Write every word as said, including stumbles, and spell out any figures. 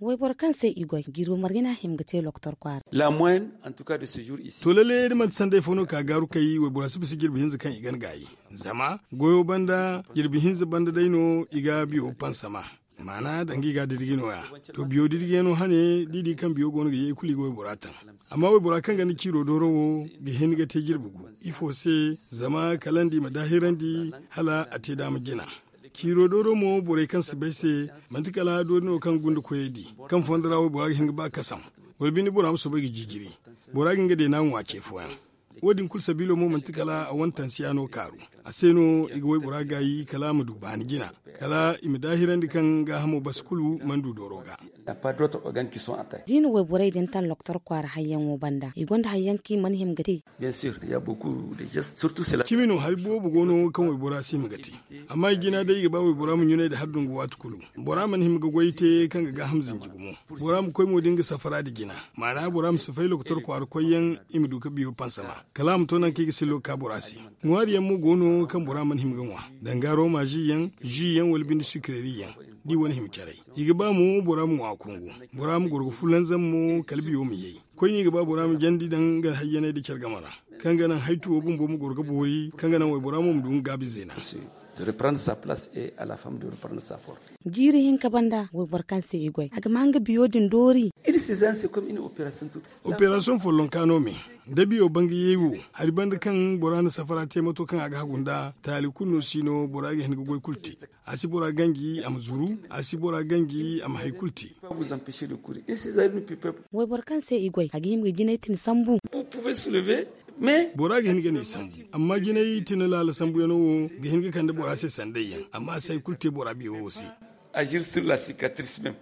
Wayboro kaŋ se i goy jiiro margina hima ga te loktor kwaara. To lalle da manti sanday fo no ka gaaru kay waybora si bisa jirbi hinza kaŋ i gan gaayi. Zama goyo banda jirbi hinza banda day no i ga biyo pansama. Maana danga i ga dirgi no- ya. To biyo dirgi yaŋ no hane da i di kaŋ biyo go no ga ye i kulu i ga waybora taŋ. Amma waybora kaŋ ganda ciiro dooro wo ga hin ga te jirbi gu. Ifo se? Zama kala nda i ma daahirandi hala a te daama jina. Ciiro dooro mo borey kaŋ si bay se, manti kala doori no kaŋ gunda koyey di, kaŋ fondo ra waybora ga hin ga ba kasam, wala binde bora ma soobay ga jijiri, bora ga hin ga deena ŋwa ce fooyaŋ. Wo- din kulu sabiilo mo manti kala a wane tansiya no kaaru. A se no i ga waybora gaayi kala a ma du baani jina, kala i ma daahirandi kaŋ gaahamo basi kulu mana du dooro ga. Da i na wayborey din taŋ loktor kwaara hayyaŋo banda i gonda hayyaŋ kaŋ i mana hima ga te. Cimi no hari boobo go no kaŋ waybora si hima ga te. Amma i jina day i ga ba waybora ma ɲunay nda hari dungu waati kulu. Bora mana hima ga goy te kaŋ ga gaaham zinji gumo. Bora ma koy mo da nga safara nda jina. Maana bora ma si fay lokotor kwaara koyyaŋ, i ma du ga biyo pansama kala a ma to nangu kaŋ i ga sillo ga ka bora se. Ŋwaari yaŋ mo go no kaŋ bora mana hima ga ŋwa. Danga roma zi yaŋ, zi yaŋ wala binde sukireri yaŋ, da i wane hima caray. I ga ba mo bora ma ŋwa kungu, bora ma goro ga fulanzam mo kala biyo ma yay. Koyne i ga ba bora ma jandi daŋ nga hayyanay nda care game ra, kaŋ ga naŋ haytuwo bumbo ma goro ga boori, kaŋ ga naŋ waybora mo ma du nga gaabi zeena. Jiiri hinka banda wayboro kaŋ se i goy a ga ma nga biyo din doori. Operasiyoŋ follonka no me, da biyo bangayey wo, hari banda kaŋ bora na safara te mato kaŋ a ga hagu nd'a, taali kulu no si no bora ga hin ga goy kulu te. A si bora ganji a ma zuru, a si bora ganji a ma hari kulu te. Wayboro kaŋ se i goy a ga hima ga jinay tini sambu. Bora ga hin ga ni sambu, amma jinay tini laala sambuyaŋo wo ga hin ga kande bora se sanday yaŋ, amma a si hari kulu te bora biyo wo se. Agir sur la sikatris mem.